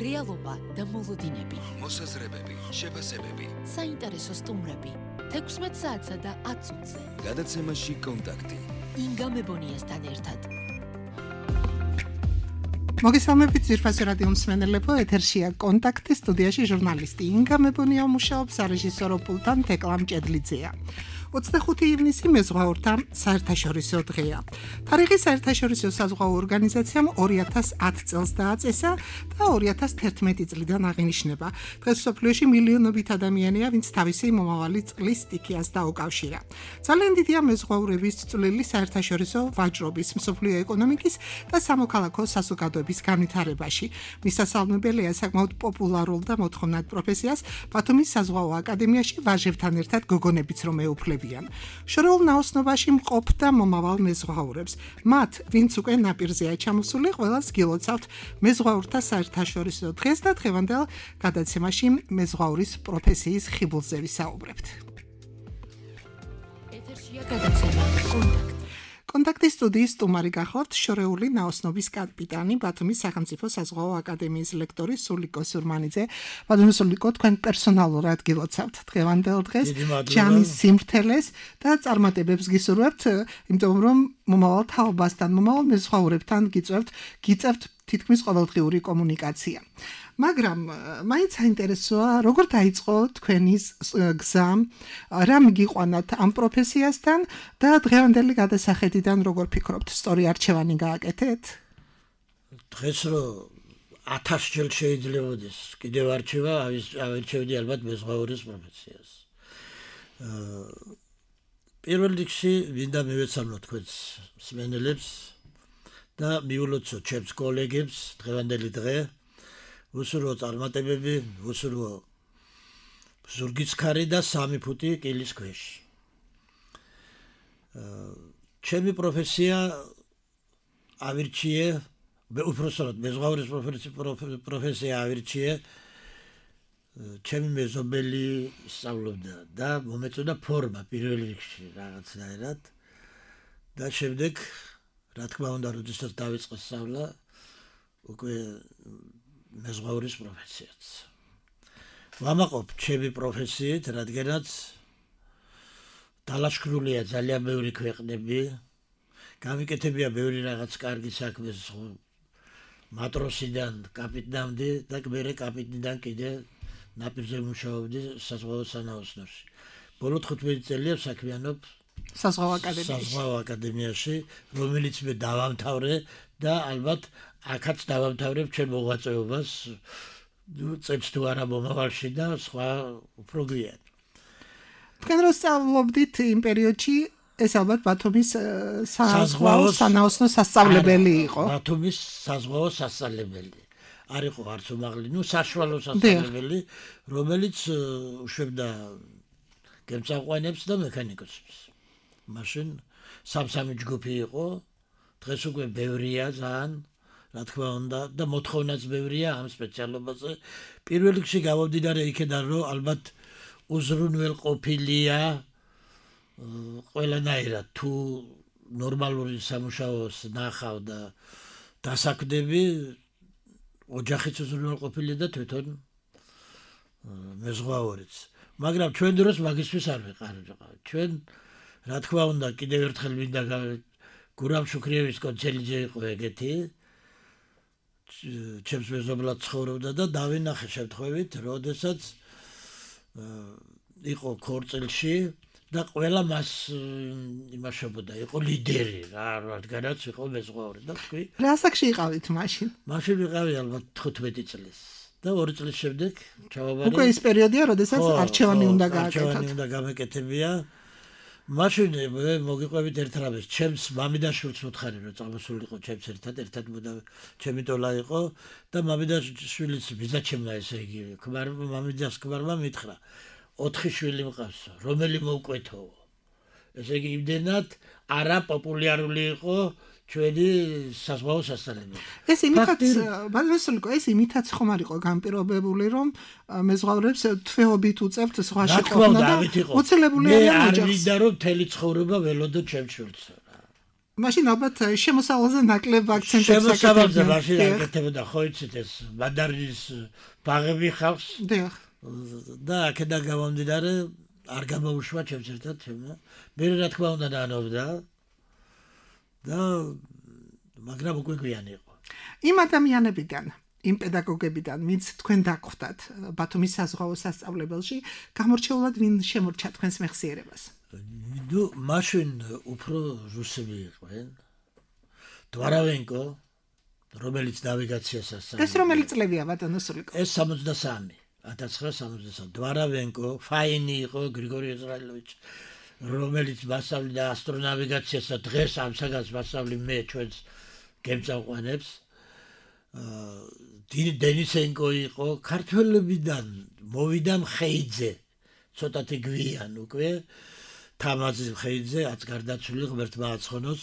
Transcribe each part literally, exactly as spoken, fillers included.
რეალობა და მოლოდინები, მოსაზრებები, შეფასებები, საინტერესო სტუმრები, თექვსმეტ საათსა და ათ წუთზე. გადაცემაში კონტაქტი. ინგა მებონიასთან ერთად. მოგესალმებით ძვირფასი რადიო მსმენელებო, ეთერშია კონტაქტი, სტუდიაში ჟურნალისტი ინგა მებონია მუშაობს, სარეჟისორო პულტთან თეკლა მჭედლიძეა. ოცდახუთი ივნისი მეზღვაურთა საერთაშორისო დღეა. თარიღი საერთაშორისო საზღვაო ორგანიზაციამ ორი ათას ათ წელს დააწესა და ორი ათას თერთმეტი წლიდან აღინიშნება. დღეს მსოფლიოში მილიონობით ადამიანია, ვინც თავისი მომავალი წყლის სტიქიას დაუკავშირა. ძალიან დიდია მეზღვაურების წვლილი საერთაშორისო ვაჭრობის, მსოფლიო ეკონომიკის და სამოქალაქო საზოგადოების განვითარებაში. მისასალმებელია საკმაოდ პოპულარულ და მოთხოვნად პროფესიას ბათუმის საზღვაო აკადემიაში ვაჟებთან ერთად გოგონებიც რომ ეუფლებიან. შორეულ ნაოსნობაში მყოფ და მომავალ მეზღვაურებს. მათ, ვინც უკვე ნაპირზეა ჩამოსული, ყველას გილოცავთ მეზღვაურთა საერთაშორისო დღეს და დღევანდელ გადაცემაში მეზღვაურის პროფესიის ხიბლზე ვისაუბრებთ. ეთერშია გადაცემა კონტაქტი. კონტაქტის სტუდიის სტუმარი გახლავთ შორეული ნაოსნობის კაპიტანი, ბათუმის სახელმწიფო საზღვაო აკადემიის ლექტორი სულიკო სურმანიძე. ბატონო სულიკო, თქვენ პერსონალურად გილოცავთ დღევანდელ დღეს ჯამის სიმრთელეს და წარმატებებს გისურვებთ, იმიტომ რომ მომავალ თაობასთან, მომავალ მეზღვაურებთან გიწევთ, გიწევთ თითქმის ყოველდღიური კომუნიკაცია. მაგრამ მაინც საინტერესოა, როგორ დაიწყო თქვენი გზა, რა მიგიყვანათ ამ პროფესიასთან და დღევანდელი გადასახედიდან როგორ ფიქრობთ, სწორი არჩევანი გააკეთეთ? დღეს რო ათასჯერ შეიძლებაოდეს კიდევ არჩევა, ავირჩევდი ალბათ მეზღვაურის პროფესიას. პირველ რიგში მინდა მივეცალო თქვენს მსმენელებს და მიულოცო ჩემს კოლეგებს დღევანდელი დღე. უსურვო წარმატებები, უსურვო ზურგისქარი და სამი ფუტი კილის ქვეშ. ჩემი პროფესია ავირჩიე, უпроსტად მეზღვაურის პროფესია ავირჩიე, ჩემი მეზობელი სწავლობდა და მომეწოდა ფორმა პირველ რიგში რაღაცნაირად და შემდეგ, რა თქმა უნდა, როდესაც დავიწყე სწავლა, უკვე მეზღვაურის პროფესიაც. ვამაყობ ჩემი პროფესიით, რადგანაც დალაშქრულია ძალიან ბევრი ქვეყნები, გამიკეთებია ბევრი რაღაც კარგი საქმე მატროსიდან კაპიტნამდე და მერე კაპიტნიდან კიდე ნაპირზე მუშაობდი საზღვაო სანაოსნოში. ბოლო თხუთმეტი წელია საქმიანობ საზღვაო აკადემიაში. საზღვაო აკადემიაში, რომელიც მე დავამთავრე და ალბათ აქაც დავამთავრებ ჩემ მოღვაწეობას, წელს თუ არა მომავალში და სხვა უფრო გვიან. თქვენ რო სწავლობდით იმ პერიოდში, ეს ალბათ ბათუმის საზღვაო სანაოსნო სასწავლებელი იყო. ბათუმის საზღვაო სასწავლებელი. არ იყო არც უმაღლესი, ნუ საშუალო სასწავლებელი, რომელიც უშვებდა გემწამყვანებს და მექანიკოსებს. მაშინ სამ-სამი ჯგუფი იყო, დღეს უკვე ბევრია ძალიან, რა თქმა უნდა, და მოთხოვნაც ბევრია ამ სპეციალობაზე. პირველ რიგში გამომდინარე იქიდან, რომ ალბათ უზრუნველყოფილია ყველანაირად, თუ ნორმალური სამუშაოს ნახავ და დასაქმდები, ოჯახიც უზრუნველყოფილია და თვითონ მეზღვაურიც. მაგრამ ჩვენ დროს მაგისთვის არ ვიყავ. ჩვენ, რა თქმა უნდა, კიდევ ერთხელ მინდა გურამ შუქრიევის კონცერტზე იყო ეგეთი. ჩემს მეზობლად ცხოვრობდა და დავინახე შემთხვევით, როდესაც იყო ქორწილში და ყველა მას იმაშობოდა, იყო ლიდერი, რადგანაც იყო მეზღვაური და თქვი. რა ასაკში იყავით მაშინ? მაშინ ვიყავი ალბათ თხუთმეტი წლის და ორი წლის შემდეგ ჩავაბარე. უკვე ის პერიოდია, როდესაც არჩევანი უნდა გააკეთოთ. არჩევანი უნდა გამეკეთებია. მაშინ მე მოგიყვებით ერთ რამეს, ჩემს მამიდაშვილს მოთხარი, რომ წამოსულიყო ჩემს ერთად, ერთად ჩემი ტოლა იყო და მამიდაშვილის ბიძაჩემმა, ესე იგი, ქმარმა, მამიდას ქმარმა მითხრა, ოთხი შვილი მყავს, რომელი მოვკვეთო. ესე იგი, იმდენად არაპოპულარული იყო ჩვენი საზღვაო სასწავლებელი. ეს იმითაც, ბატონო სულიკო, ეს იმითაც ხომ არ იყო განპირობებული, რომ მეზღვაურებს თვეობით უწევთ ზღვაში ყოფნა და მოცილებული არიან ოჯახს. მე არ მინდა რომ მთელი ცხოვრება ველოდო ჩემს შვილს. მაშინ ალბათ შემოსავალზე ნაკლებ აქცენტებს შემოსავალზე მაშინ აკეთებდა ხო იცით ეს მანდარინის ბაღები ხავს დიახ და აქედან გამომდინარე არ გამოუშვა ჩემს ერთად ჩემო მე რა თქმა უნდა დაანობდა და მაგრამ უკვე გვიანი იყო იმ ადამიანებიდან იმ პედაგოგებიდან ვინც თქვენ დაგხვდათ ბათუმის საზღვაო სასწავლებელში გამორჩეულად ვინ შემორჩა თქვენს მეხსიერებას ნუ მაშინ უფრო რუსები იყვნენ დვარავენკო რომელიც ნავიგაციას ასწავლიდა ეს რომელი წლებია ბატონო სულიკო ეს სამოცდასამი ათას ცხრაას სამოცდასამი დვარავენკო ფაინი იყო გრიგორი ეზრაილოვიჩი რომელიც მასწავლიდა ასტრონავიგაციას და დღეს ამ საგანს მასწავლი მე ჩვენს გემწამყვანებს აა დენისენკო იყო ქართველებიდან მოვიდა მხეიძე ცოტათი გვიან უკვე თამაზი მხეიძე აც გარდაცვლილი ღმერთმა აცხონოს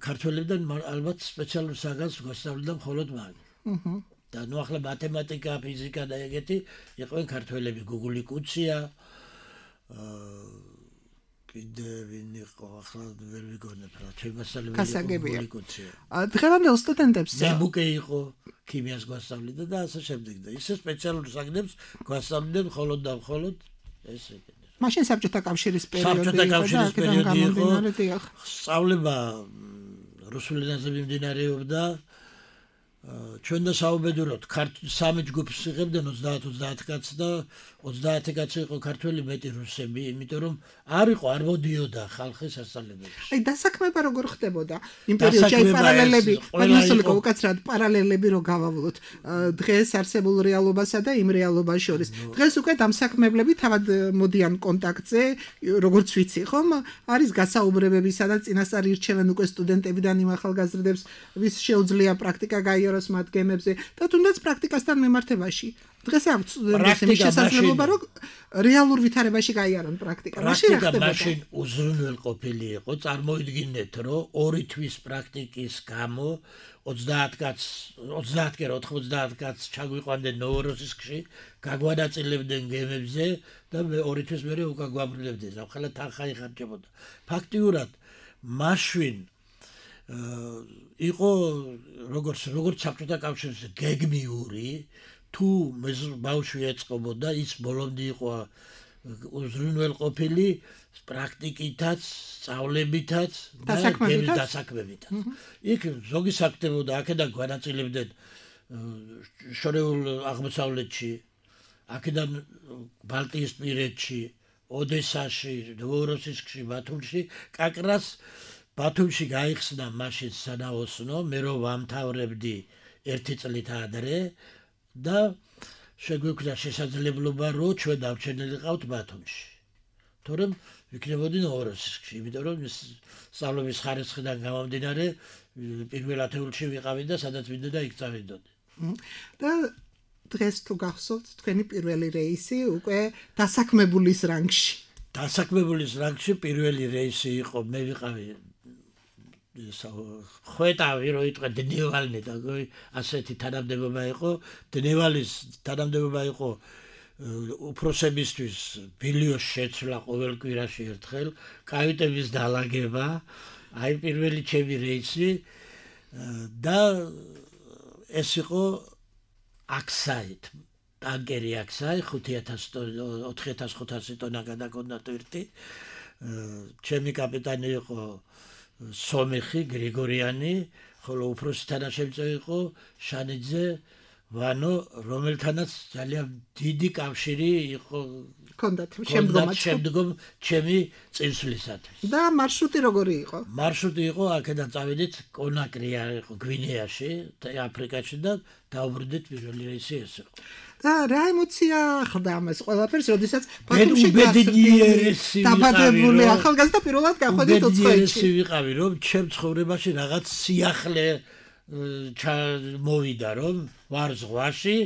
ქართველებიდან ალბათ სპეციალურ საგანს გვასწავლიდა მხოლოდ მან აჰა და ნუ ახლა მათემატიკა ფიზიკა და ეგეთი იყვნენ ქართველები გუგული კუცია აა კიდე ვინ იყო ახლა ვერ ვიგონებ რა ჩემ მასალები გუგული კუცია დღევანდელ სტუდენტებს ზებუკე იყო ქიმიას გვასწავლიდა და ასე შემდეგ და ისე სპეციალურ საგნებს გვასწავლდნენ მხოლოდ და მხოლოდ ეს ეგეთი მაშინ საბჭოთა კავშირის პერიოდი საბჭოთა კავშირის პერიოდი იყო სწავლება რუსულ ენაზე მიმდინარეობდა ჩვენ და საუბედუროთ სამი ჯგუფს იღებდნენ ოცდაათ ოცდაათ კაცს და ოცდაათი კაცი იყო ქართველი მეტი რუსები იმიტომ რომ არ იყო არ მოდიოდა ხალხი სასწავლებელში აი დასაქმება როგორ ხდებოდა იმ პერიოდში აი პარალელები პარალელები უკაცრად პარალელები რო გავავლოთ დღეს არსებულ რეალობასა და იმ რეალობას შორის დღეს უკვე დამსაქმებლები თავად მოდიან კონტაქტზე როგორც ვიცი ხომ არის გასაუბრებები სადაც წინასწარ ირჩევენ უკვე სტუდენტებიდან იმ ახალგაზრდებს ვის შეუძლია პრაქტიკა გაიაროს მათ გემებზე და თუნდაც პრაქტიკასთან მიმართებაში დღეს აქვს სტუდენტებს შესაძლებლობა რომ რეალურ ვითარებაში გაიარონ პრაქტიკა მაშინ რა ხდებოდა მაშინ უზრუნველყოფილი იყო წარმოიდგინეთ რომ ორი თვის პრაქტიკის გამო ოცდაათ კაცს ოცდაათ კი ოთხმოცდაათ კაცს ჩაგვიყვანდნენ ნოვოროსისკში გაგვანაწილებდნენ გემებზე და მე ორი თვის მერე უკვე გვაბრუნებდნენ ახლა თანხა იხარჯებოდა ფაქტიურად მაშინ იყო როგორც როგორც საბჭოთა კავშირის გეგმიური თუ ბავშვი ეწყობოდა ის ბოლომდე იყო უზრუნველყოფილი პრაქტიკითაც სწავლებითაც და დასაქმებითაც იქ ზოგი საკდებოდა აქედან განაწილებდნენ შორეულ აღმოსავლეთში აქედან ბალტიისპირეთში ოდესაში ნოვოროსისკში ბათუმში კაკრას ბათუმში გაიხსნა მაშინ სანაოსნო მე რო ვამთავრებდი ერთი წლით ადრე და შეგვეკვდა შესაძლებლობა რომ ჩვენ დავჩენილიყავთ ბათუმში თორემ ვიქნებოდი ნოვოროსისკში იმიტომ რომ სწავლების ხარისხიდან გამომდინარე პირველ ათეულში ვიყავი და სადაც მინდოდა იქ წავიდოდი და დღეს თუ გახსოვთ თქვენი პირველი რეისი უკვე დასაქმებულის რანგში დასაქმებულის რანგში პირველი რეისი იყო მე ვიყავი ხვეტავი რო იტყვე დნევალნი და ასეთი თანამდებობა იყო დნევალის თანამდებობა იყო უფროსებისთვის ბილიოს შეცვლა ყოველ კვირაში ერთხელ კაიტების დალაგება აი პირველი ჩემი რეისი და ეს იყო აქსაით ტანკერი აქსაი ხუთი ათას ოთხი ათას ხუთასი ტონა გადაგონდა ტვირთი ჩემი კაპიტანი იყო სომეხი გრიგორიანი ხოლო უფროსი თანაშემწე იყო შანიძე ვანო რომელთანაც ძალიან დიდი კავშირი იყო კონდათ შემდგომაც შემდგომ ჩემი წინსვლისათვის და მარშრუტი როგორი იყო მარშრუტი იყო აქედან წავედით კონაკრია იყო გვინეაში აფრიკაში და დავბრუნდით პირველი რეისი ეს იყო და რა ემოცია ხდა ამას ყველაფერს როდესაც ბათუმში გასწრებული დაბადებული ახალგაზრდა პირველად გახვედით უცხოეთში ვიყავი რომ ჩემ ცხოვრებაში რაღაც სიახლე მოვიდა რომ ვარ ზღვაში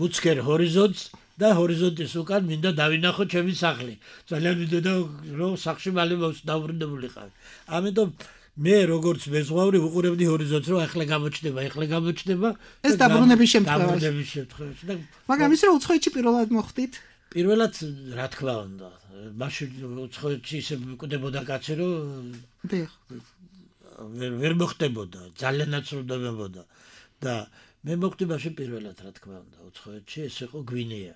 უცხერ ჰორიზონტს და ჰორიზონტის უკან მინდა დავინახო ჩემი სახლი ძალიან მინდოდა რომ სახლში მალე დავბრუნებულიყავი ამიტომ მე როგორც მეზღვაური ვუყურებდი ჰორიზონტს რომ ახლა გამოჩნდება ახლა გამოჩნდება ეს დაბრუნების შემთხვევაში დაბრუნების შემთხვევაში და მაგრამ ის რომ უცხოეთში პირველად მოხვდით პირველად რა თქმა უნდა, მაშინ უცხოეთში ისე მკვდებოდა კაცი, რომ ვერ მოხდებოდა, ძალიანაც რუდმებოდა და მე მოხდი მაშინ პირველად რა თქმა უნდა, უცხოეთში ეს იყო გვინეა.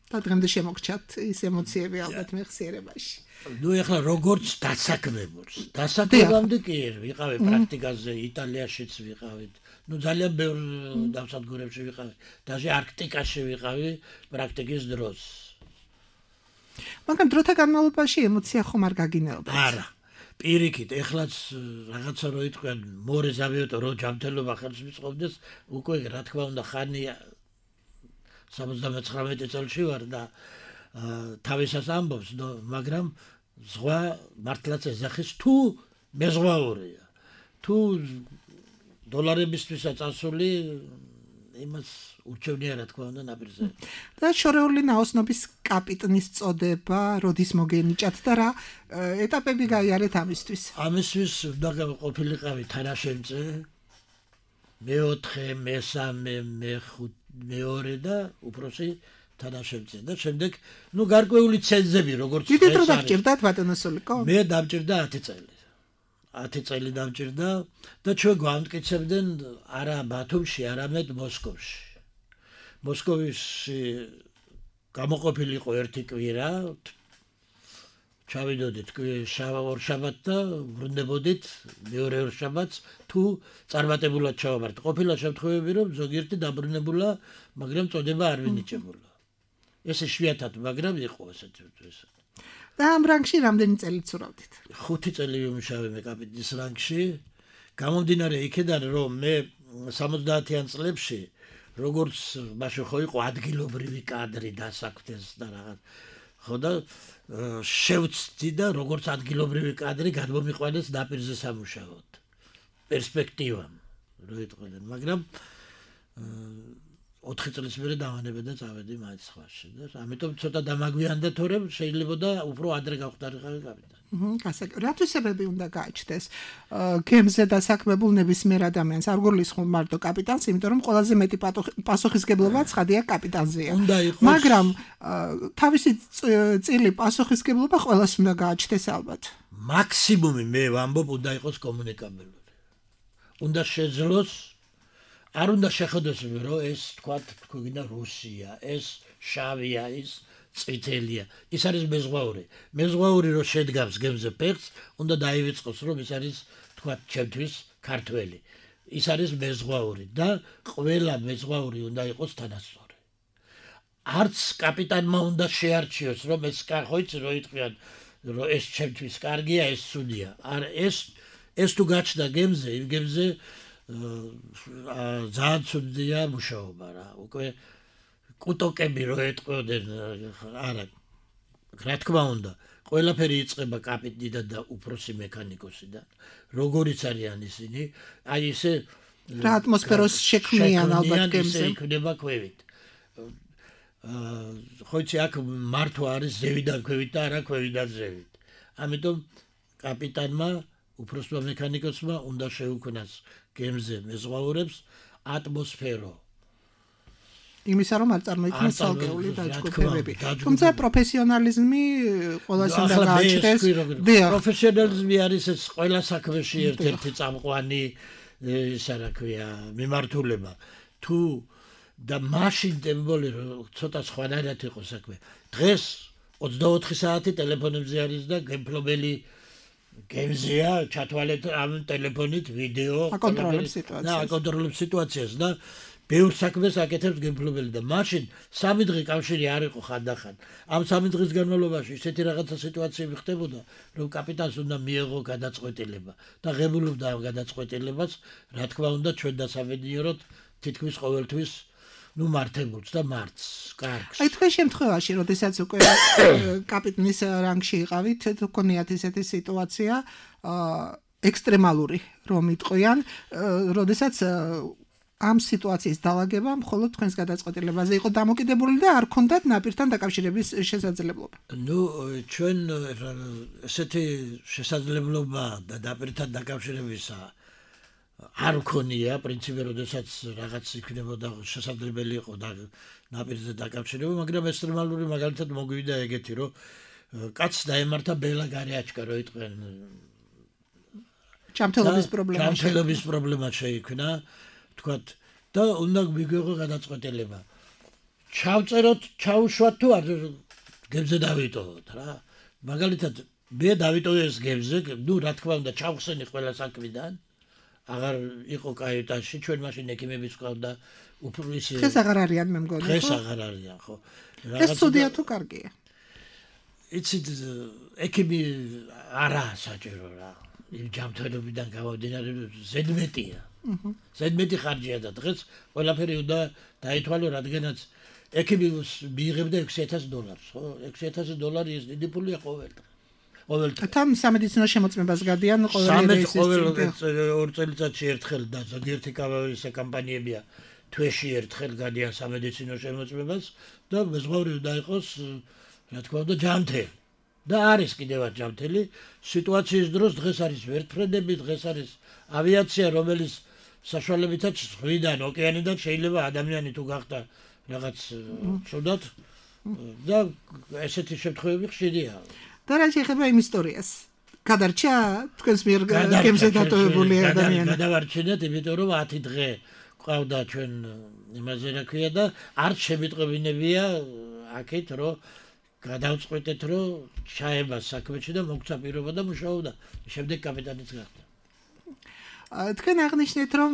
და დღემდე შემოგჩათ ის ემოციები ალბათ მეხსიერებაში. ნუ ეხლა როგორც დასაქმებულს, დასაქმებამდე კი ვიყავი პრაქტიკაზე, იტალიაშიც ვიყავით. ნუ ძალიან ბევრ დავსადგურებში ვიყავი, даже არქტიკაში ვიყავი პრაქტიკის დროს. მაგრამ დროთა განმავლობაში ემოცია ხომ არ გაგინეობთ? არა. პირიქით, ეხლაც რაღაცა რო იტყვიან, მორე ზავიოტო რო ჯანმრთელობა ხელს მიწყობდეს, უკვე რა თქმა უნდა ხანია სამოცდამეცხრამეტე წელში ვარ და თავისას ამბობს, მაგრამ ზღვა მართლაც ეძახის თუ მეზღვაურია. თუ დოლარებისთვისაც წასული იმას ურჩევნია რა თქმა უნდა ნაპირზე. და შორეული ნაოსნობის კაპიტნის წოდება როდის მოგენიჭათ და რა ეტაპები გაიარეთ ამისთვის? ამისთვის უნდა ყოფილიყავი თანაშემწე, მეოთხე, მესამე, მეხუთე, მეორე და უფროსი თანაშემწე და შემდეგ ნუ გარკვეული ცენზები როგორც ეს არის. დიდი დრო დაგჭირდათ ბატონო სულიკო? მე დამჭირდა ათი წელი. ათი წელი დამჭირდა და ჩვენ გვამტკიცებდნენ არა ბათუმში, არამედ მოსკოვში. მოსკოვში გამოყოფილიყო ერთი კვირა, ჩავიდოდით ორ შაბათს და ვრუნდებოდით მეორე ორ შაბათს თუ წარმატებულად ჩავაბართ. ყოფილა შემთხვევები, რომ ზოგიერთი დაბრუნებულა, მაგრამ წოდება არ ვინიჭებულა. ეს იშვიათად, მაგრამ იყო ესეთი ეს. და ამ რანგში რამდენი წელი ცურავდით? ხუთი წელი ვიმუშავე მე კაპიტნის რანგში. გამომდინარე იქიდან, რომ მე სამოცდაათიან წლებში როგორც მაშინ ხო იყო ადგილობრივი კადრი დასაქმდეს და რაღაც. ხო და შევწდი და როგორც ადგილობრივი კადრი გადმომიყვანეს ნაპირზე სამუშაოდ. პერსპექტივამ რო იტყვიან, მაგრამ ოთხი წლის მერე დავანებე და წავედი მაინც სხვაში და ამიტომ ცოტა დამაგვიანდა თორემ შეიძლება და უფრო ადრე გავხდარიყავი კაპიტანი. რათვის სებები უნდა გააჩნდეს გემზე დასაქმებულ ნებისმიერ ადამიანს? არ გულისხმობ მარტო კაპიტანს, იმიტომ რომ ყველაზე მეტი პასუხისგებლობა ცხადია კაპიტანზეა. მაგრამ თავისი წილი პასუხისგებლობა ყველას უნდა გააჩნდეს ალბათ. მაქსიმუმი მე ვამბობ უნდა იყოს კომუნიკაბელური. უნდა შეძლოს, არ უნდა შეხედოს რომ ეს თქვა თქვა რუსია, ეს შავია, ის წითელია. ის არის მეზღვაური. მეზღვაური რო შედგავს გემზე ფეხს, უნდა დაივიწყოს რომ ის არის თქვა ჩემთვის ქართველი. ის არის მეზღვაური და ყველა მეზღვაური უნდა იყოს თანასწორი. არც კაპიტანმა უნდა შეარჩიოს რომ ეს ხო იცი რო იტყვიან რომ ეს ჩემთვის კარგია, ეს ცუდია. არა, ეს ეს თუ გაჩნდა გემზე, იმ გემზე ძალიან ცუდია მუშაობა რა. უკვე კუტოკები რო ეტყოდნენ, არა, რა თქმა უნდა, ყველაფერი იწყება კაპიტნიდან და უფროსი მექანიკოსიდან. როგორიც არიან ისინი, აი ესე რა ატმოსფეროს შექმნიან ალბათ გემზე. იქნება ქვევით. ხო იცი, აქ მართვა არის ზევიდან ქვევით და არა ქვევიდან ზევით. ამიტომ კაპიტანმა, უფროსმა მექანიკოსმა უნდა შეუქმნას გემზე მეზღვაურებს ატმოსფერო. იმისა რომ არ წარმოიქმნას ცალკეული დაჯგუფებები. თუმცა პროფესიონალიზმი ყველას უნდა გააჩნდეს. პროფესიონალიზმი არის ეს ყველა საქმეში ერთ-ერთი წამყვანი ისა რა ქვია მიმართულება. თუ და მაშინ დემბოლი ცოტა სხვანაირად იყო საქმე. დღეს ოცდაოთხი საათი ტელეფონებზე არის და გემფლობელი გემზეა, ჩათვალეთ ამ ტელეფონით ვიდეო, აკონტროლებს სიტუაციას. და აკონტროლებს სიტუაციას და ბევრ საქმეს აკეთებს გემფლობელი და მაშინ სამი დღე კავშირი არ იყო ხანდახან. ამ სამი დღის განმავლობაში ისეთი რაღაცა სიტუაციები ხდებოდა, რომ კაპიტანს უნდა მიეღო გადაწყვეტილება და ღებულობდა ამ გადაწყვეტილებას, რა თქმა უნდა, ჩვენ დასაბედნიეროთ თითქმის ყოველთვის ნუ მართებულს და მარტს, კარგს. აი თქვენ შემთხვევაში, როდესაც უკვე კაპიტნის რანგში იყავით, თქვენიათ ესეთი სიტუაცია, ექსტრემალური რომ იტყვიან, როდესაც ამ სიტუაციის დაალაგება მხოლოდ თქვენს გადაწყვეტილებაზე იყო დამოკიდებული და არ ქონდათ ნაპირთან დაკავშირების შესაძლებლობა. ნუ ჩვენ ესეთი შესაძლებლობა და ნაპირთან დაკავშირებისა არ მქონია პრინციპი, როდესაც რაღაც იქნებოდა შესაძლებელი იყო და ნაპირზე დაკავშირება, მაგრამ ექსტრემალური მაგალითად მოგვივიდა ეგეთი, რომ კაცს დაემართა ბელა გარეაჩკა, რო იტყვენ ჯანმრთელობის პრობლემა. ჯანმრთელობის პრობლემა შეიქმნა, თქვათ და უნდა მიგვიღო გადაწყვეტილება. ჩავწეროთ, ჩაუშვათ თუ არ გებზე დავიტოვოთ რა. მაგალითად მე დავიტოვე ეს გებზე, ნუ რა თქმა უნდა ჩავხსენი ყველა საქმიდან. აღარ იყო კაიტაში, ჩვენ მაშინ ექიმებიც ყავდა, უფრო ისე დღეს აღარ არიან მე მგონი. დღეს აღარ არიან, ხო. ეს ცუდია თუ კარგია? იცით, ექიმი არაა საჭირო რა. იმ ჯანმრთელობიდან გამომდინარე ზედმეტია. ზედმეტი ხარჯია და დღეს ყველაფერი უნდა დაითვალო, რადგანაც ექიმი მიიღებდა ექვსი ათასი დოლარს, ხო? ექვსი ათასი დოლარი ეს დიდი პულია ყოველდღე. ყოველდღე. თან სამედიცინო შემოწმებას გადიან ყოველი რეისის ყოველ ორ წელიწადში ერთხელ და ზოგიერთი კავაისე კამპანიებია თვეში ერთხელ გადიან სამედიცინო შემოწმებას და მეზღვაური უნდა იყოს, რა თქმა უნდა, ჯანმრთელი. და არის კიდევაც ჯანმრთელი. სიტუაციის დროს დღეს არის ვერტფრენები, დღეს არის ავიაცია, რომელიც საშუალებითაც ზღვიდან, ოკეანიდან შეიძლება ადამიანი თუ გახდა რაღაც ცუდად და ესეთი შემთხვევები ხშირია. და რა შეიძლება იმ ისტორიას? გადარჩა თქვენს მიერ გემზე დატოვებული ადამიანი? გადავარჩინეთ, იმიტომ რომ ათი დღე ყავდა ჩვენ იმაზე რა ქვია და არ შემიტყობინებია აქეთ, რომ გადავწყვეტეთ, რომ ჩაება საქმეში და მოგცა პირობა და მუშაობდა. შემდეგ კაპიტანიც გახდა. თქვენ აღნიშნეთ, რომ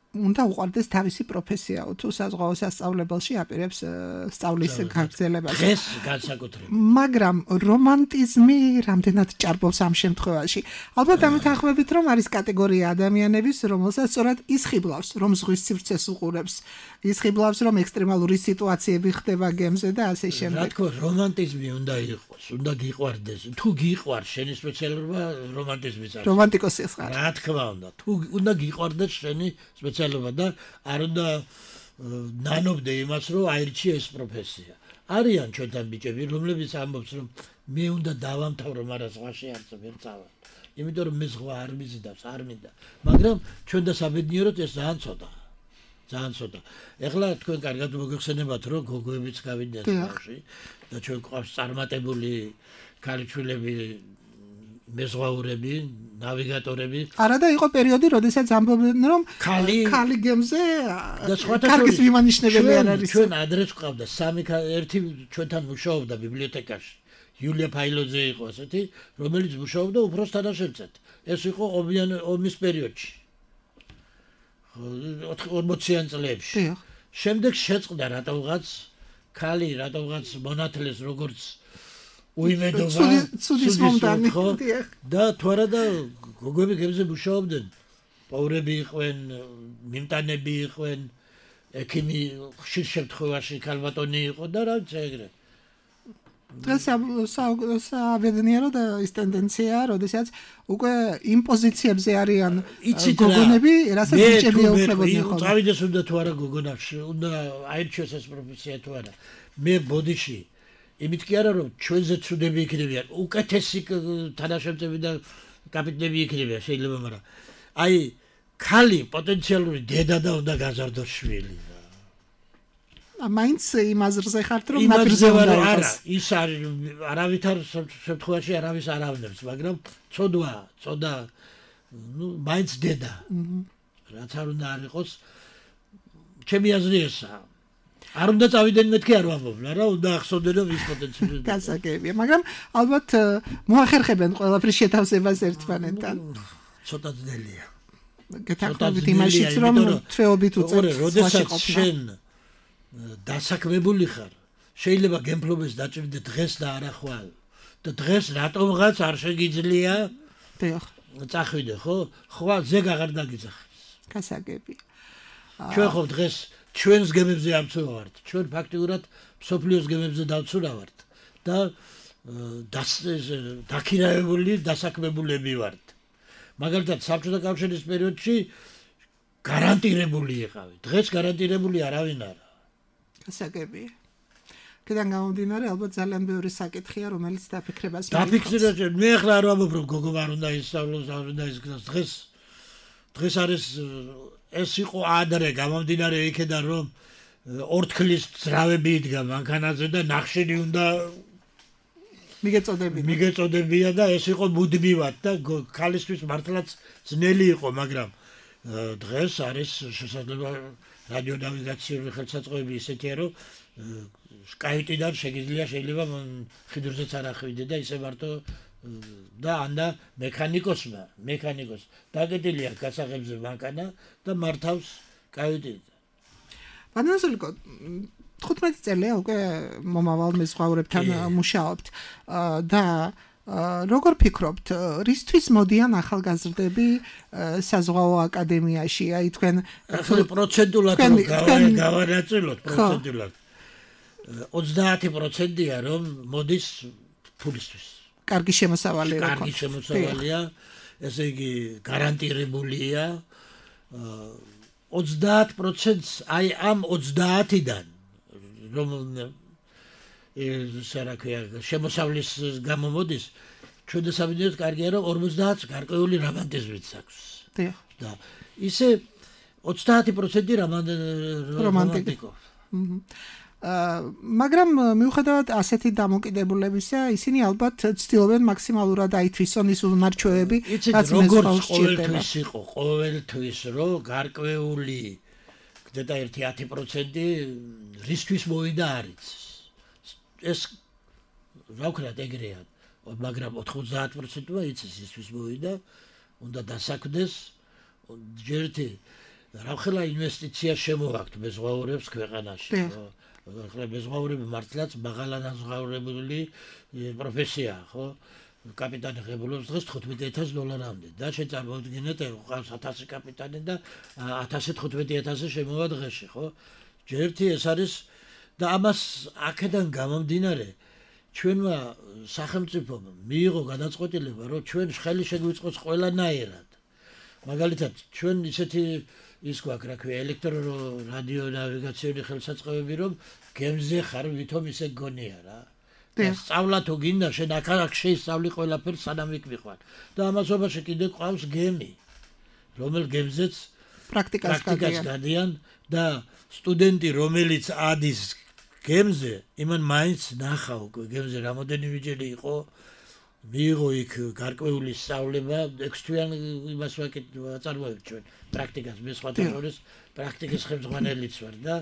უნდა უყვარდეს თავისი პროფესიაო, თუ საზღვაო სასწავლებელში აპირებს სწავლის გაგრძელებას. დღეს განსაკუთრებით. მაგრამ რომანტიზმი რამდენად ჭარბობს ამ შემთხვევაში? ალბათ ამით ახმებით, რომ არის კატეგორია ადამიანების, რომელსაც სწორად ისხიბლავს, რომ ზღვის სივრცეს უყურებს, ისხიბლავს, რომ ექსტრემალური სიტუაციები ხდება გემზე და ასე რა შემდეგ. თქმა უნდა, რომანტიზმი უნდა იყოს, უნდა გიყვარდეს. თუ გიყვარს შენი სპეციალობა, რომანტიზმიც არის. რომანტიკოსი ხარ. რა თქმა უნდა, თუ უნდა გიყვარდეს შენი სპეციალობა და არ უნდა ნანობდე იმას, რომ აირჩიე ეს პროფესია. არიან ჩვენთან ბიჭები, რომლებიც ამბობს, რომ მე უნდა დავამთავრო, მაგრამ ზღვაში არ წავალ. იმიტომ რომ მე ზღვა არ მიზიდავს, არ მინდა. მაგრამ ჩვენ და საბედნიეროდ ეს ძალიან ცოტა. ძალიან ცოტა. ეხლა თქვენ კარგად მოგეხსენებათ, რომ გოგოებიც გავიდნენ ზღვაში და ჩვენ გვყავს წარმატებული ქალიშვილები, მეზღვაურები, ნავიგატორები. არა და იყო პერიოდი, როდესაც ამბობდნენ, რომ ქალი ქალი გემზე და სხვათა კარგის მიმანიშნებელი არ არის. ჩვენ ადრეს ყავდა სამი ერთი ჩვენთან მუშაობდა ბიბლიოთეკაში. იულია ფაილოძე იყო ასეთი, რომელიც მუშაობდა უფროს თანაშემწედ. ეს იყო ომის პერიოდში. ორმოციან წლებში. შემდეგ შეწყდა რატომღაც ქალი, რატომღაც მონათლეს როგორც უიმედობა, ცუდის მომდანი. და თუ არა და გოგოები გემზე მუშაობდნენ. პაურები იყვნენ, მიმტანები იყვნენ, ექიმი ხშირ შემთხვევაში ქალბატონი იყო და რაც ეგრე. დღეს საბედნიერო და ის ტენდენციაა, როდესაც უკვე იმ პოზიციებზე არიან გოგონები, რასაც ბიჭები ეუფლებოდნენ ხოლმე. წავიდეს უნდა თუ არა გოგონაში, უნდა აირჩიოს ეს პროფესია თუ არა. მე ბოდიში იმით კი არა, რომ ჩვენზე ცუდები იქნებიან, უკეთესი თანაშემწები და კაპიტნები იქნებიან შეიძლება, მაგრამ აი ქალი პოტენციალური დედა და უნდა გაზარდოს შვილი. მაინც იმ აზრზე ხართ, რომ ნაპირზე უნდა იყოს. არა, ის არის არავითარ შემთხვევაში არავის არ ავნებს, მაგრამ ცოდვა, ცოდა, ნუ მაინც დედა. რაც არ უნდა არ იყოს, ჩემი აზრი ესაა. არ უნდა წავიდნენ მეთქი არ ვამბობ, რა უნდა ახსოვდნენ რომ ის პოტენციალი. გასაგებია, მაგრამ ალბათ მოახერხებენ ყველაფრის შეთავსებას ერთმანეთთან. ცოტა ძნელია. გეთანხმებით იმაშიც, რომ თვეობით უწევთ. როდესაც შენ დასაქმებული ხარ, შეიძლება გემფლობეს დაჭირდე დღეს და არა ხვალ. და დღეს რატომღაც არ შეგიძლია დიახ. წახვიდე, ხო? ხვალ ზეგ აღარ დაგიძახეს. გასაგებია. ჩვენ ხო დღეს ჩვენს გემებზე ამცურავართ. ჩვენ ფაქტიურად სოფლიოს გემებზე დავცურავართ და დაქირავებული, დასაქმებულები ვართ. მაგალითად, საბჭოთა კავშირის პერიოდში გარანტირებული იყავი. დღეს გარანტირებული არავინ არა. გასაგებია. კიდევ გამომდინარე, ალბათ ძალიან ბევრი საკითხია, რომელიც დაფიქრებას მიიღებს. დაფიქრება, მე ახლა არ ვამბობ, რომ გოგო არ უნდა ისწავლოს, არ უნდა ისწავლოს. დღეს დღეს არის ეს იყო ადრე გამომდინარე იქიდან რომ ორთქლის ძრავები იდგა მანქანაზე და ნახშირი უნდა მიგეწოდებინა. მიგეწოდებია და ეს იყო მუდმივად და ქალისთვის მართლაც ძნელი იყო, მაგრამ დღეს არის შესაძლოა რადიო ნავიგაციური ხელსაწყოები ისეთია, რომ სკაიტიდან შეგიძლია შეიძლება ხიდურზეც არ ახვიდე და ისე მარტო და ანდა მექანიკოსმა, მექანიკოს დაგეტილია გასაღებზე მანქანა და მართავს კაიტი. ბანანასულიკო თხუთმეტი წელია უკვე მომავალ მეზღვაურებთან მუშაობთ და როგორ ფიქრობთ, რისთვის მოდიან ახალგაზრდები საზღვაო აკადემიაში? აი თქვენ ახლა პროცენტულად გავანაწილოთ პროცენტულად. ოცდაათი პროცენტია რომ მოდის ფულისთვის. კარგი შემოსავალი რა. კარგი შემოსავალია, ესე იგი გარანტირებულია. ოცდაათ პროცენტს აი ამ ოცდაათიდან რომ ესე რა ქვია შემოსავლის გამო მოდის, ჩვენ დასაბინდეთ კარგია რომ ორმოცდაათს გარკვეული რომანტიზმიც აქვს. დიახ. და ისე ოცდაათი პროცენტი რომანტიკო. მაგრამ მიუხედავად ასეთი დამოკიდებულებისა, ისინი ალბათ ცდილობენ მაქსიმალურად აითვისონ ის უნარჩვევები, რაც მეზღვაურს ყოველთვის იყო, ყოველთვის რომ გარკვეული გდედა ერთი ათი პროცენტი რისთვის მოვიდა არის. ეს რა ვქნათ ეგრეა, მაგრამ ოთხმოცდაათი პროცენტია იცის რისთვის მოვიდა, უნდა დასაქმდეს ჯერთი რა ხელა ინვესტიცია შემოვაქვთ მეზღვაურებს ქვეყანაში. ახლა მეზღვაურები მართლაც მაღალანაზღაურებული პროფესიაა, ხო? კაპიტანი ღებულობს დღეს თხუთმეტი ათასი დოლარამდე და შეწარმოდგინეთ ყავს ათასი კაპიტანი და ათასი თხუთმეტი ათასი შემოვა დღეში, ხო? ჯერთი ეს არის და ამას აქედან გამომდინარე ჩვენმა სახელმწიფომ მიიღო გადაწყვეტილება, რომ ჩვენ ხელი შეგვიწყოს ყველანაირად. მაგალითად, ჩვენ ისეთი ის გვაქვს, რა ქვია, ელექტრო-რადიო ნავიგაციური ხელსაწყოები, რომ გემზე ხარ, ვითომ ისე გონია რა. სწავლა თუ გინდა, შენ აქ შეისწავლი ყველაფერს, სანამ იქ მიყვან. და ამასობაში კიდე ყავს გემი, რომელ გემზეც პრაქტიკას გადიან და სტუდენტი, რომელიც ადის გემზე, იმან მაინც ნახა უკვე გემზე რამოდენიმეჯერ იყო, მიიღო იქ გარკვეული სწავლება, ექვს თვიანი იმას ვაწარმოებთ ჩვენ პრაქტიკას, მე სხვათა შორის პრაქტიკის ხელმძღვანელიც ვარ და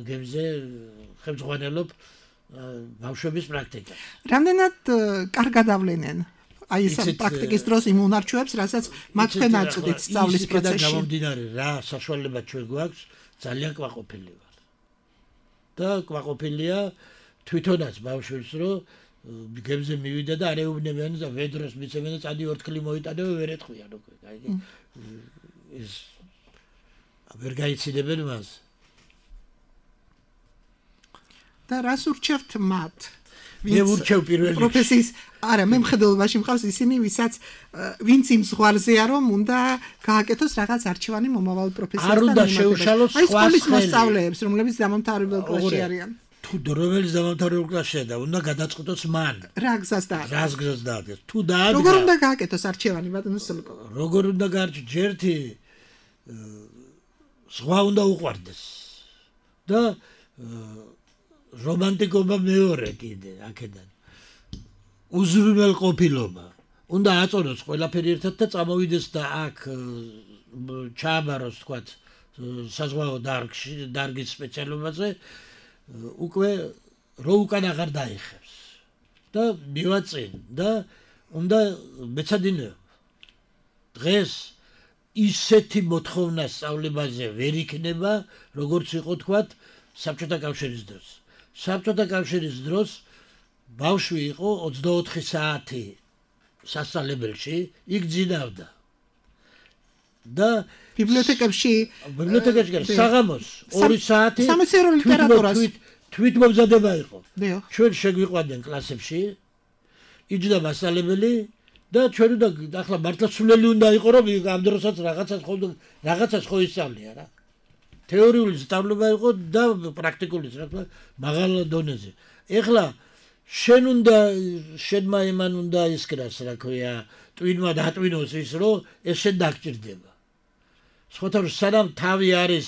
გემზე ხელმძღვანელობ ბავშვების პრაქტიკას. რამდენად კარგად ავლენენ აი ეს პრაქტიკის დროს იმ უნარჩვევებს, რასაც მათ თქვენ აწვდით სწავლის პროცესში? გამომდინარე რა საშუალება ჩვენ გვაქვს, ძალიან კვაყოფილი ვარ. და კვაყოფილია თვითონაც ბავშვებს, რომ გემზე მივიდა და არეუბნებიან და ვედროს მიცემენ და წადი ორთქლი მოიტანე ვერ ეთქვიან უკვე. აი ეს ვერ გაიციდებენ მას. და რას ურჩევთ მათ? მე ურჩევ პირველ რიგში პროფესიის, არა, მე მხედველობაში მყავს ისინი, ვისაც ვინც იმ ზღვარზეა, რომ უნდა გააკეთოს რაღაც არჩევანი მომავალ პროფესიასთან. არ უნდა შეუშალოს სხვა სკოლის მოსწავლეებს, რომლებიც დამამთავრებელ კლასში არიან. თუ რომელიც დამამთავრებელ კლასშია და უნდა გადაწყვიტოს მან. რა გზას დაადგეს? რა გზას დაადგეს? თუ დაადგა. როგორ უნდა გააკეთოს არჩევანი, ბატონო სულიკო? როგორ უნდა გაარჩიოს? ჯერთი სხვა უნდა უყვარდეს. და რომანტიკობა მეორე კიდე აქედან. უზრუნველყოფილობა. უნდა აწონოს ყველაფერი ერთად და წამოვიდეს და აქ ჩააბაროს, თქვათ, საზღვაო დარგში, დარგის სპეციალობაზე, უკვე რო უკან აღარ დაიხევს. და მივაწინ და უნდა მეცადინეო. დღეს ისეთი მოთხოვნა სწავლებაზე ვერ იქნება, როგორც იყო, თქვათ, საბჭოთა კავშირის დროს. საბჭოთა კავშირის დროს ბავშვი იყო ოცდაოთხი საათი სასწავლებელში, იქ ძინავდა. და ბიბლიოთეკებში ბიბლიოთეკაში საღამოს ორი საათი სამეცნიერო ლიტერატურას თვითმომზადება იყო. დიახ. ჩვენ შეგვიყვანდნენ კლასებში, იჯდა მასწავლებელი და ჩვენ უნდა ახლა მართლა სულელი უნდა იყო, რომ ამ დროსაც რაღაცას ხო რაღაცას ხო ისწავლია რა. თეორიული სწავლება იყო და პრაქტიკული სწავლება მაღალ დონეზე. ეხლა შენ უნდა შენმა იმან უნდა ისკრას, რა ქვია, ტვინმა დატვინოს ის, რომ ეს შენ დაგჭირდება. სხვათა სანამ თავი არის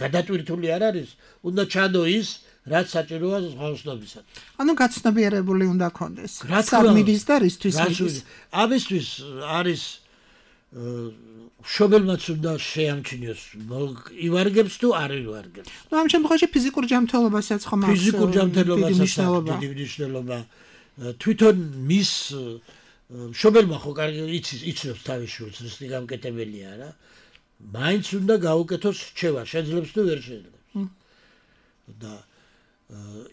გადატვირთული არ არის, უნდა ჩადო ის, რაც საჭიროა ზღვაოსნობისად. ანუ გაცნობიერებული უნდა კონდეს. რა თქმა უნდა. სამიდის და რისთვის რას მიდის. უნდა- ამისთვის არის მშობელმაც უნდა შეამჩნიოს, მოგ- ივარგებს თუ არ ივარგებს. ნუ ამ შემთხვევაში ფიზიკურ ჯანმრთელობასაც ხომ აქვს ფიზიკურ დიდი ჯანმრთელობასაც მნიშვნელობა. აქვს დიდი მნიშვნელობა. თვითონ მის მშობელმა ხო კარგი იცის, იცნობს თავის შვილს, რისი გამკეტებელია რა. მაინც უნდა გაუკეთოს რჩევა, შეძლებს თუ ვერ შეძლებს. და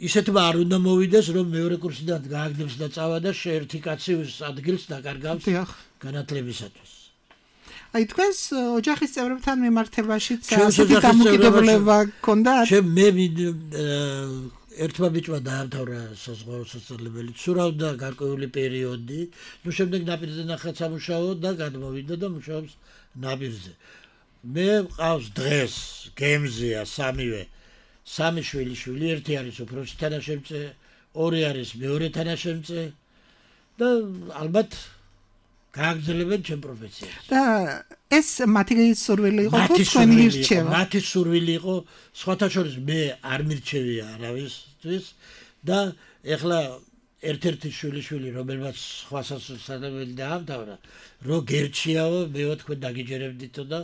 ისეთმა არ უნდა მოვიდეს, რომ მეორე კურსიდან გააგდებს და წავა და შეერთი კაცი ადგილს დაკარგავს დიახ. განათლებისათვის. აი თქვენს ოჯახის წევრებთან მიმართებაშიც ჩემს ასეთი ოჯახის დამოკიდებულება გქონდათ? ჩემ მე ერთმა ბიჭმა დაამთავრა საზღვაო სასწავლებელი, ცურავდა გარკვეული პერიოდი, ნუ შემდეგ ნაპირზე ნახა სამუშაო და გადმოვიდა და მუშაობს ნაპირზე. მე მყავს დღეს გემზეა სამივე სამი შვილი შვილი, ერთი არის უფროსი თანაშემწე, ორი არის მეორე თანაშემწე და ალბათ გააგრძელებენ ჩემ პროფესიას. და ეს მათი სურვილი იყო თუ თქვენი ირჩევა? მათი სურვილი იყო, სხვათა შორის მე არ მირჩევია არავისთვის და ეხლა ერთ-ერთი შვილი შვილი, რომელმაც სხვა სასწავლებელი დაამთავრა, რო გერჩიაო, მეო თქვენ დაგიჯერებდითო და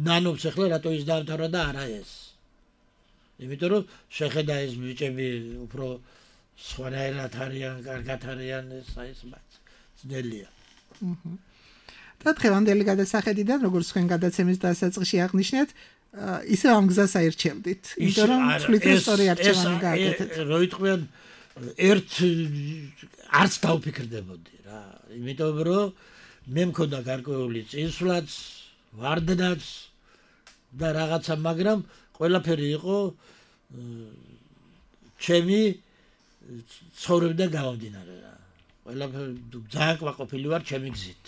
ნანობს ეხლა რატო ის დაამთავრა და არა ეს. იმიტომ რომ შეხედა ეს ბიჭები უფრო სხვანაირად არიან, კარგად არიან, ეს აი ეს მათ ძნელია. და დღევანდელი გადასახედიდან, როგორც თქვენ გადაცემის დასაწყისში აღნიშნეთ, ისე ამ გზას აირჩევდით. იმიტომ რომ თვლით რომ სწორი არჩევანი გააკეთეთ. რო იტყვიან ერთ არც დავფიქრდებოდი რა. იმიტომ რომ მე მქონდა გარკვეული წინსვლაც, ვარდნაც და რაღაცა, მაგრამ ყველაფერი იყო ჩემი ცხოვრებიდან გამომდინარე რა. ყველაფერი ძალიან კმაყოფილი ვარ ჩემი გზით.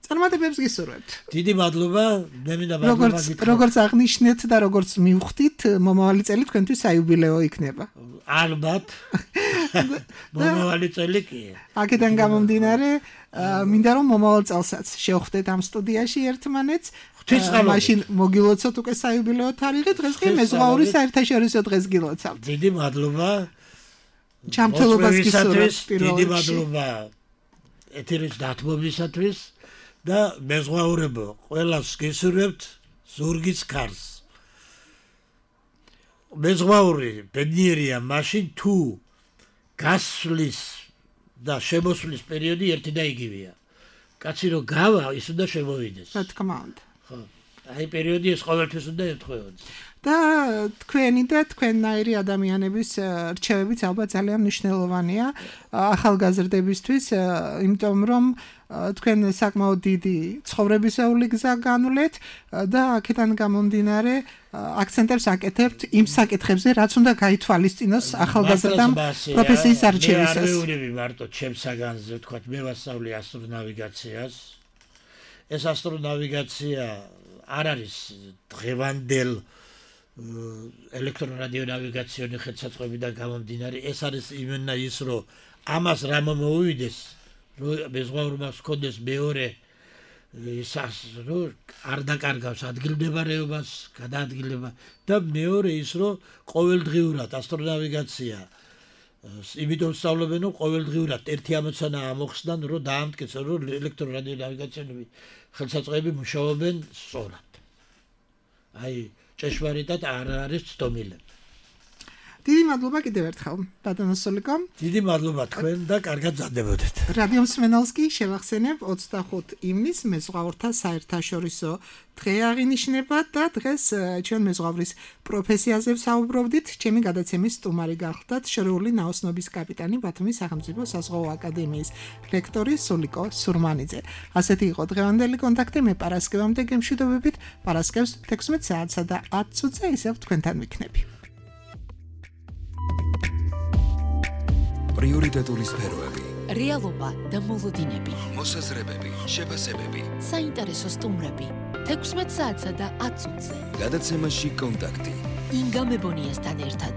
წარმატებებს გისურვებთ. დიდი მადლობა, მე მინდა მადლობა როგორც გითხრათ. როგორც აღნიშნეთ და როგორც მივხვდით, მომავალი წელი თქვენთვის საიუბილეო იქნება. ალბათ. მომავალი წელი კი. აქედან გამომდინარე, მინდა რომ მომავალ წელსაც შევხვდეთ ამ სტუდიაში ერთმანეთს. მაშინ მოგილოცოთ უკვე საიუბილეო თარიღი, დღეს კი მეზღვაური საერთაშორისო დღეს გილოცავთ. დიდი მადლობა. ჯანმრთელობას გისურვებთ პირველ დიდი რიგში. მადლობა ეთერის დათმობისათვის და მეზღვაურებო, ყველას გისურვებთ ზურგის ქარს. მეზღვაური ბედნიერია მაშინ თუ გასვლის და შემოსვლის პერიოდი ერთი და იგივეა. კაცი რო გავა, ის უნდა შემოვიდეს. რა თქმა უნდა. ხო. აი პერიოდი ეს ყოველთვის უნდა ეთხოვოს. და თქვენი და თქვენნაირი ადამიანების რჩევებიც ალბათ ძალიან მნიშვნელოვანია ახალგაზრდებისთვის, იმიტომ რომ თქვენ საკმაოდ დიდი ცხოვრებისეული გზა განვლეთ და აქედან გამომდინარე აქცენტებს აკეთებთ იმ საკითხებზე, რაც უნდა გაითვალისწინოს ახალგაზრდამ პროფესიის არჩევისას. მე არ ვეუბნები მარტო ჩემს საგანზე, ვთქვათ, მე ვასწავლე ასტრონავიგაციას. ეს ასტრონავიგაცია არ არის დღევანდელ ელექტრორადიონავიგაციონი ხელსაწყოებიდან გამომდინარე, ეს არის იმენა ის, რომ ამას რა მომოვიდეს, რომ მეზღვაურმა ჰქონდეს მეორე ისას, რომ არ დაკარგავს ადგილმდებარეობას, გადაადგილება და მეორე ის, რომ ყოველდღიურად ასტრონავიგაცია იმიტომ სწავლებენ, რომ ყოველდღიურად ერთი ამოცანა ამოხსნან, რომ დაამტკიცონ, რომ ელექტრორადიონავიგაციონები ხელსაწყოები მუშაობენ სწორად. აი ჭეშმარიტად არ არის ცდომილები. დიდი მადლობა კიდევ ერთხელ, ბატონო სულიკო. დიდი მადლობა თქვენ და კარგად მზადდებოდეთ. რადიო მსმენელს კი შევახსენებ ოცდახუთ ივნისს მეზღვაურთა საერთაშორისო დღე აღინიშნება და დღეს ჩვენ მეზღვავრის პროფესიაზე ვსაუბრობდით. ჩემი გადაცემის სტუმარი გახლდათ შორეული ნაოსნობის კაპიტანი ბათუმის სახელმწიფო საზღვაო აკადემიის ლექტორი სულიკო სურმანიძე. ასეთი იყო დღევანდელი კონტაქტი. მე პარასკევამდე გემშვიდობებით. პარასკევს თექვსმეტ საათსა და ათ წუთზე ისევ თქვენთან ვიქნები. პრიორიტეტული სფეროები, რეალობა და მოლოდინები, მოსაზრებები, შეფასებები, საინტერესო სტუმრები, თექვსმეტ საათსა და ათ წუთზე. გადაცემაში კონტაქტი. ინგა მებონიასთან ერთად.